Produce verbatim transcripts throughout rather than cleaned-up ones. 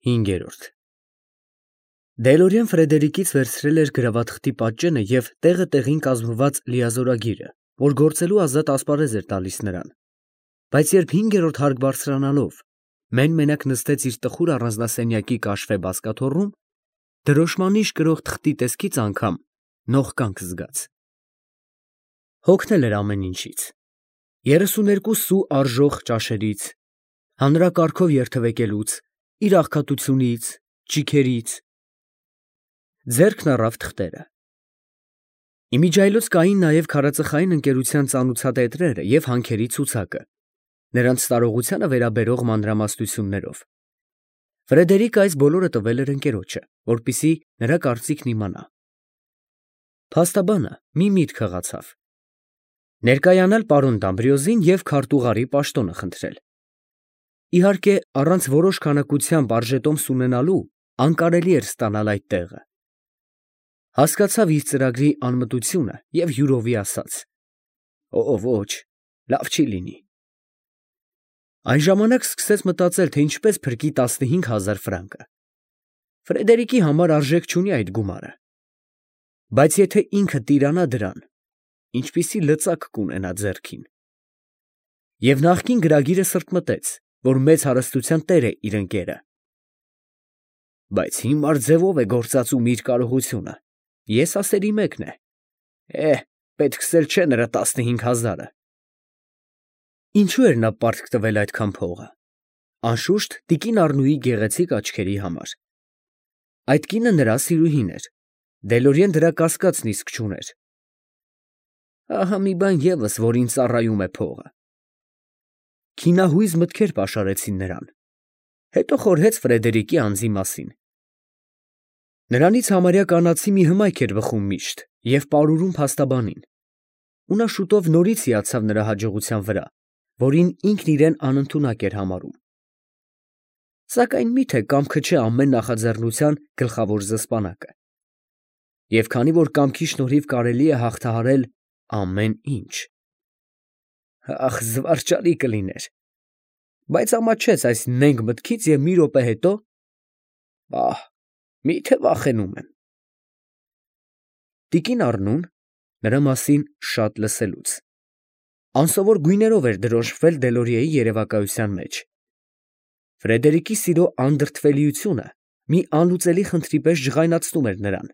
հինգերորդ Դելորիան Ֆրեդերիկից վերցրել էր գրավաթղթի պատճենը և տեղը տեղին կազմված լիազորագիրը, որ գործելու ազատ ասպարեզ էր տալիս նրան, բայց երբ հինգերորդ հարկ բարձրանալով մեն֊մենակ նստեց իր տխուր առանձնասենյակի կաշվե բազկաթոռում, դրոշմանիշ կրող թղթի տեսքից անգամ նողկանք զգաց։ Հոգնել էր ամեն ինչից, երեսուներկու սու արժող ճաշերից, հանրակարգով երթևեկելուց, իր աղքատությունից, ճիգերից, ձեռքն առավ թղթերը։ Իմիջիայլոց կային նաև քարածխային ընկերության ծանուցատետրերը և հանքերի ցուցակը, նրանց տարողությանը վերաբերող մանրամասնություններով։ Ֆրեդերիկը այս բոլորը տվել էր ընկերոջը, որպեսզի նրա կարծիքն իմանա։ Փաստաբանը մի միտք հղացավ. ներկայանալ պարոն Դամբրիոզին և քարտուղարի պաշտոնը խնդրել։ Իհարկե, առանց որոշ քանակությամբ արժետոմս ունենալու անկարելի էր ստանալ այդ տեղը։ Հասկացավ իր ծրագրի անմտությունը և յուրովի ասաց. «Օ, ոչ, լավ չի լինի»։ Այն ժամանակ սկսեց մտածել, թե ինչպես փրկի տասնհինգ հազար ֆրանկը։ Ֆրեդերիկի համար արժեք չունի այդ գումարը, բայց եթե ինքը տիրանա դրան, ինչպիսի լծակ կունենա ձեռքին։ Եվ նախկին գրագիրը սրտմտեց, որ մեծ հարստության տեր է իր ընկերը։ Բայց հիմար ձևով է գործածում իր կարողությունը, ես ասերի մեկն է, է, պետքս էլ չէ նրա տասնհինգ հազարը։ Ինչու էր նա պարտք տվել այդքան փողը։ Անշուշտ, տիկին Առնուի գեղեցիկ աչքերի համար։ Այդ կինը նրա սիրուհին էր, Դելորիեն դրա կասկածն իսկ չուներ։ Ահա մի բան ևս, որին ծառայում է փողը։ Քինահույզ մտքեր պաշարեցին նրան, հետո խորհեց Ֆրեդերիկի անձի մասին։ Նրանից համարյա կանացի մի հմայք էր բխում միշտ և պարուրում փաստաբանին, ու նա շուտով նորից հիացավ նրա հաջողության վրա, որին ինքն իրեն անընդունակ էր համարում։ Սակայն մի՞թե կամքը չէ ամեն նախաձեռնության գլխավոր զսպանակը։ Եվ քանի որ կամքի շնորհիվ կարելի է հաղթահարել ամեն ինչ։ Ախ, զվարճալի կլիներ, բայց ամաչեց այս նենգ մտքից և մի րոպե հետո, պահ, մի՞թե վախենում եմ։ Տիկին Առնուն, նրա մասին շատ լսելուց, անսովոր գույներով էր դրոշմվել Դելորիեի երևակայության մեջ։ Ֆրեդերիկի սիրո անդրդվելիությունը մի անլուծելի խնդրի պես ջղայնացնում էր նրան։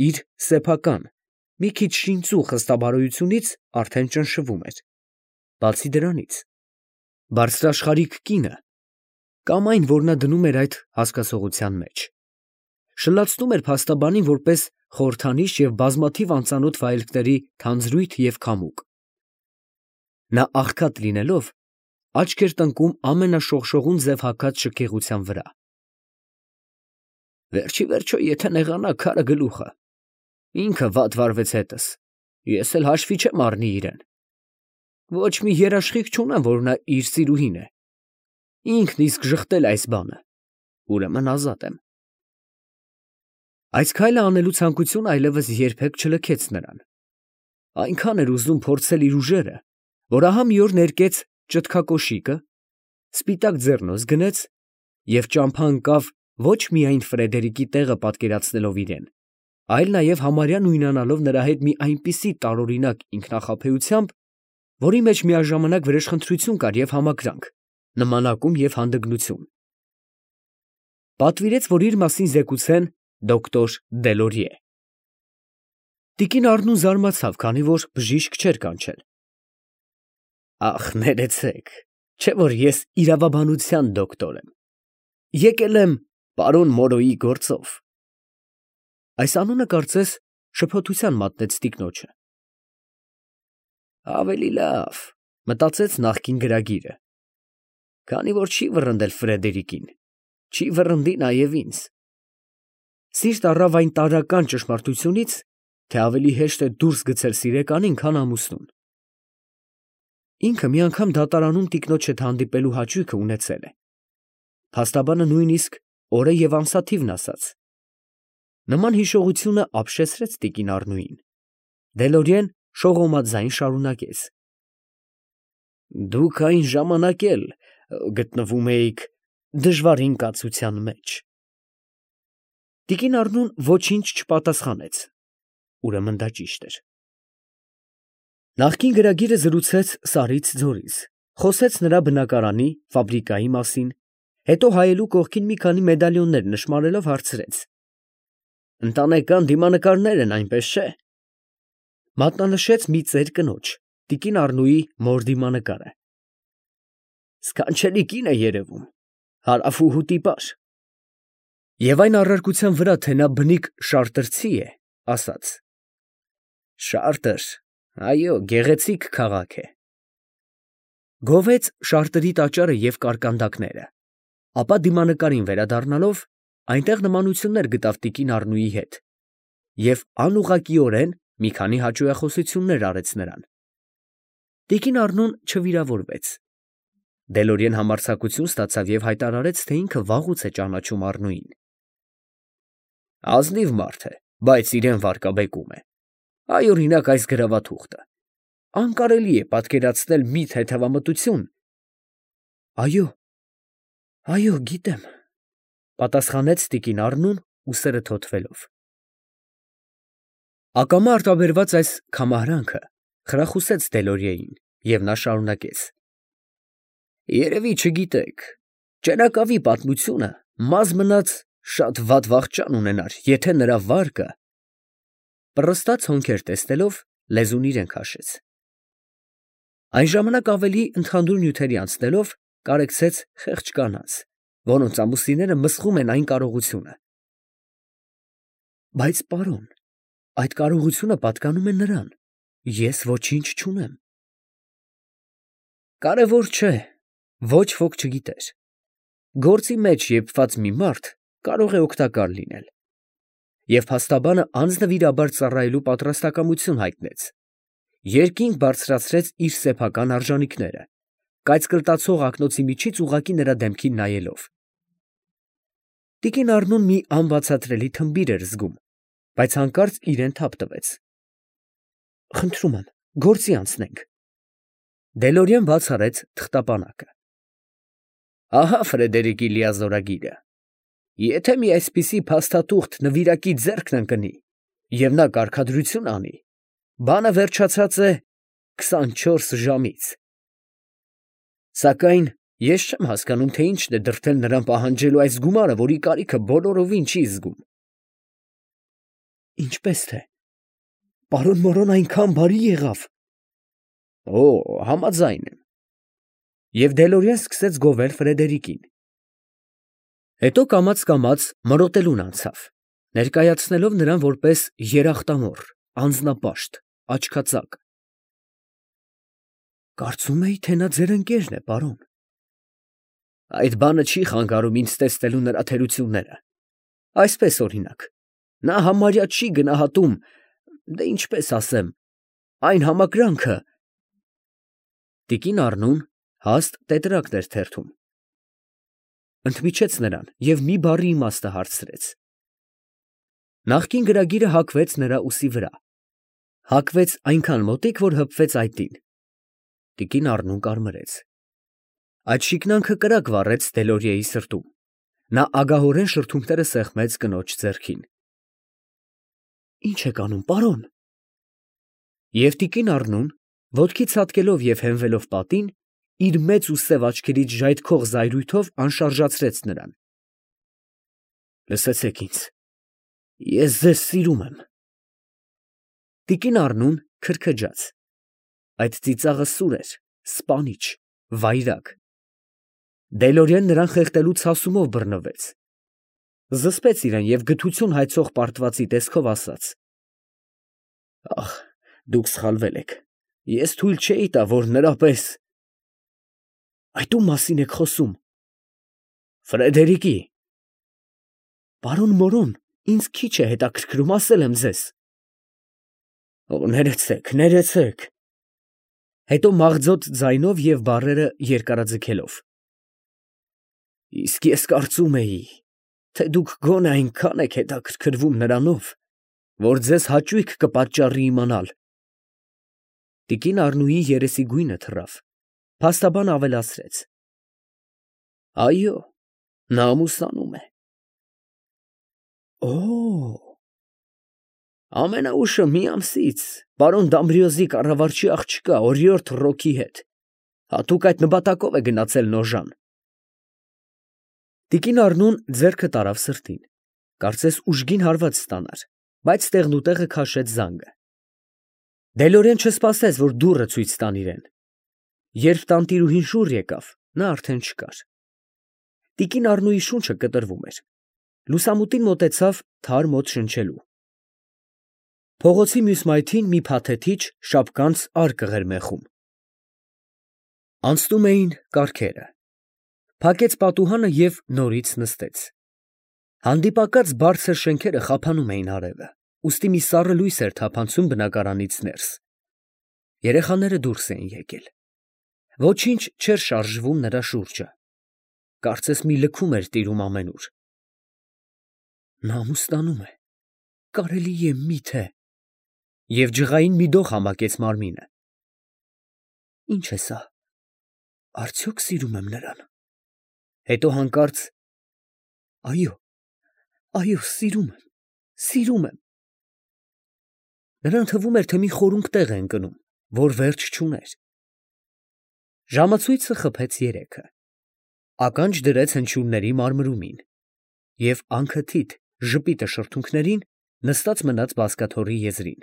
Իր սեփական, մի քիչ շինծու խստաբարոյությունից արդեն ճնշվում էր։ Բացի դրանից, բարձրաշխարհիկ կինը, կամ այն, որ նա դնում էր այդ հասկացողության մեջ, շլացնում էր փաստաբանին որպես խորհրդանիշ և բազմաթիվ անծանոթ վայելքների թանձրույթ և քամուկ։ Նա աղքատ լինելով, աչք էր տնկում ամենաշողշողուն ձև հագած շքեղության վրա։ Վերջիվերջո, եթե նեղանա, քարը գլուխը։ Ինքը վատ վարվեց հետս, ես էլ հաշվի չեմ առնի իրեն։ Ոչ մի երաշխիք չունեմ, որ նա իր սիրուհին է։ Ինքն իսկ ժխտել է այս բանը, ուրեմն ազատ եմ։ Այս քայլը անելու ցանկությունը այլևս երբեք չլքեց նրան։ Այնքան էր ուզում փորձել իր ուժերը, որ ահա մի օր ներկեց ճտկակոշիկը, սպիտակ ձեռնոց գնեց և ճամփա ընկավ ոչ միայն Ֆրեդերիկի տեղը պատկերացնելով իրեն, այլ նաև համարյա նույնանալով նրա հետ մի այնպիսի տարօրինակ ինքնախաբեությամբ, որի մեջ միաժամանակ վրեժխնդրություն կար և համակրանք, նմանակում և հանդգնություն։ Պատվիրեց, որ իր մասին զեկուցեն դոկտոր Դելորիե։ Տիկին Առնուն զարմացավ, քանի որ բժիշկ չէր կանչել։ Ախ, ներեցեք, չէ՞ որ ես իրավաբանության դոկտոր եմ։ Եկել եմ պարոն Մորոյի գործով։ Այս անունը, կարծես, շփոթության մատնեց տիկնոջը։ Ավելի լավ, մտածեց նախկին գրագիրը, քանի որ չի վռնդել Ֆրեդերիկին, չի վռնդի նաև ինձ։ Սիրտ առավ այն տարրական ճշմարտությունից, թե ավելի հեշտ է դուրս գցել սիրեկանին, քան ամուսնուն։ Ինքը մի անգամ դատարանում տիկնոջ հետ հանդիպելու հաճույքը ունեցել է։ Փաստաբանը նույնիսկ օրը և ամսաթիվն ասաց։ Նման հիշողությունը ապշեցրեց տիկին Առնուին։ Դելորիեն շողոմաձայն շարունակեց. Դուք այն ժամանակ էլ գտնվում էիք դժվարին կացության մեջ։ Տիկին Առնուն ոչինչ չպատասխանեց, ուրեմն դա ճիշտ էր։ Նախկին գրագիրը զրուցեց Սարից ձորից, խոսեց նրա բնակարանի, ֆաբրիկայի մասին, հետո հայելու կողքին մի քանի մեդալիոններ նշմարելով հարցրեց. «Ընտանեկան դիմանկարներ են, այնպես չէ՞»։ Մատնանշեց մի ծեր կնոջ, տիկին Առնուի մոր դիմանկարը։ «Սքանչելի կին է երևում, հարավուհու տիպար»։ Եվ այն առարկության վրա, թե նա բնիկ շարտրցի է, ասաց. «Շարտր, այո, գեղեցիկ քաղաք է»։ Գովեց շարտրի տաճարը և կարկանդակները, ապա դիմանկարին վերադառնալով, այնտեղ նմանություններ գտավ տիկին Առնուի հետ և անուղղակիորեն մի քանի հաճոյախոսություններ արեց նրան։ Տիկին Առնուն չվիրավորվեց։ Դելորիեն համարձակություն ստացավ և հայտարարեց, թե ինքը վաղուց է ճանաչում Առնուին։ «Ազնիվ մարդ է, բայց իրան վարկաբեկում է։ Այ, օրինակ, այս գրավաթուղթը. անկարելի է պատկերացնել մի թեթևամտություն»։ «Այո, այո, գիտեմ», պատասխանեց տիկին Առնուն, ուսերը թոթվելով։ Ակամա արտաբերված այս քամահրանքը խրախուսեց Դելորիեին, և նա շարունակեց. «Երևի չգիտեք, ճենակավի պատմությունը մազ մնաց շատ վատ վախճան ունենար, եթե նրա վարկը…» Պռստաց հոնքեր տեսնելով, լեզուն իրեն քաշեց։ Այն ժամանակ ավելի ընդհանուր նյութերի անցնելով, կարեկցեց խեղճ կանանց, որոնց ամուսինները մսխում են այն կարողությունը։ «Բայց, պարոն, այդ կարողությունը պատկանում է նրան, ես ոչինչ չունեմ»։ Կարևոր չէ, ոչ ոք չգիտեր։ Գործի մեջ եփված մի մարդ կարող է օգտակար լինել։ Եվ փաստաբանը անձնվիրաբար ծառայելու պատրաստակամություն հայտնեց, երկինք բարձրացրեց իր սեփական արժանիքները, կայծկլտացող ակնոցի միջից ուղղակի նրա դեմքին նայելով։ Տիկին Առնուն մի անբացատրելի թմբիր էր զգում, բայց հանկարծ իրեն թափ տվեց։ «Խնդրում եմ, գործի անցնենք»։ Դելորիեն բաց արեց թղթապանակը։ «Ահա Ֆրեդերիկի լիազորագիրը. եթե մի այսպիսի փաստաթուղթ նվիրակի ձեռքն ընկնի, և նա կարգադրություն անի, բանը վերջացած է քսանչորս ժամից։ Սակայն ես չեմ հասկանում, թե ինչն է դրդել նրան պահանջելու այս գումարը, որի կարիքը բոլորովին չի զգում»։ «Ինչպես թե, պարոն Մորոն այնքան բարի եղավ»։ «Օ, համաձայն եմ»։ Եվ Դելորիեն սկսեց գովել Ֆրեդերիկին։ Հետո կամաց֊կամաց մրոտելուն անցավ, ներկայացնելով նրան որպես երախտամոռ, անձնապաշտ, աչքածակ։ «Կարծում էի, թե նա ձեր ընկերն է, պարոն»։ «Այդ բանը չի խանգարում ինձ տեսնելու նրա թերությունները։ Այսպես, օրինակ, նա համարյա չի գնահատում, դե ինչպես ասեմ, այն համակրանքը…»։ Տիկին Առնուն հաստ տետրակն էր թերթում, ընդմիջեց նրան և մի բառի իմաստը հարցրեց։ Նախկին գրագիրը հագվեց նրա ուսի վրա, հագվեց այնքան մոտիկ, որ հպվեց այտին։ Տիկին Առնուն կարմրեց։ Այդ շիկնանքը կրակ վառեց Դելորիեի սրտում։ Նա ագահորեն շրթունքները սեղմեց կնոջ ձեռքին։ «Ի՞նչ եք անում, պարոն»։ Եվ տիկին Առնուն, ոտքի ցատկելով և հենվելով պատին, իր մեծ ու սև աչքերից ժայթքող զայրույթով անշարժացրեց նրան։ «Լսեցեք ինձ, ես ձեզ սիրում եմ»։ Տիկին Առնուն քրքջաց։ Այդ ծիծաղը սուր էր, սպանիչ, վայրագ։ Դելորիեն նրան խեղդելու ցասումով բռնվեց։ Զսպեց իրան և գթություն հայցող պարտվածի տեսքով ասաց. «Ախ, դուք սխալվել եք, ես թույլ չէի տա, որ նրա պես…»։ «Այդ ո՞ւմ մասին եք խոսում»։ «Ֆրեդերիկի»։ «Պարոն Մորոն, ինձ քիչ է հետաքրքրում, ասել եմ ձեզ»։ «Ներեցեք, ներեցեք»։ Հետո մաղձոտ ձայնով և բառերը երկարաձգելով. «Իսկ ես կարծում էի, թե դուք գոնե այնքան եք հետաքրքրվում նրանով, որ ձեզ հաճույք կպատճառի իմանալ»։ Տիկին Առնուի երեսի գույնը թռավ, փաստաբան ավելացրեց. «Այո, Նա ամուսնանում է։ Օ՜։ Ամենաուշը մի ամսից պարոն Դամբրիոզի կառավարչի աղջկա օրիորդ Ռոկի հետ հատուկ այդ նպատակով է գնացել Նոժան։ Տիկին Առնուն ձեռքը տարավ սրտին, կարծես ուժգին հարված ստանար, բայց տեղնուտեղը քաշեց զանգը։ Դելորեն չսպասեց, որ դուռը ցույց տան իրեն։ Երբ տանտիրուհին շուռ եկավ, նա արդեն չկար։ Տիկին Առնուի շունչը կտրվում էր։ Լուսամուտին մոտեցավ թարմ օդ շնչելու։ Փողոցի մյուս մայթին մի փաթեթիչ շապկանց արկղ էր մեխում։ Անցնում էին կառքերը։ Փակեց պատուհանը և նորից նստեց։ Հանդիպակաց բարձր շենքերը խափանում էին արևը, ուստի մի սառը լույս էր թափանցում բնակարանից ներս։ Երեխաները դուրս էին եկել։ Ոչինչ չէր շարժվում նրա շուրջը։ Կարծես մի լքում էր տիրում ամենուր։ Նա ամուսնանում է, կարելի է մի՞թե։ Եվ ջղային մի դող համակեց մարմինը։ Ինչ է սա, արդյոք սիրում եմ նրան։ Հետո հանկարծ. այո, այո, սիրում եմ, սիրում եմ։ Նրան թվում էր, թե մի խորունկ տեղ է ընկնում, որ վերջ չուներ։ Ժամացույցը խփեց երեքը։ Ականջ դրեց հնչյունների մարմրումին և անքթիթ ժպիտը շրթունքներին նստած մնաց բազկաթոռի եզրին։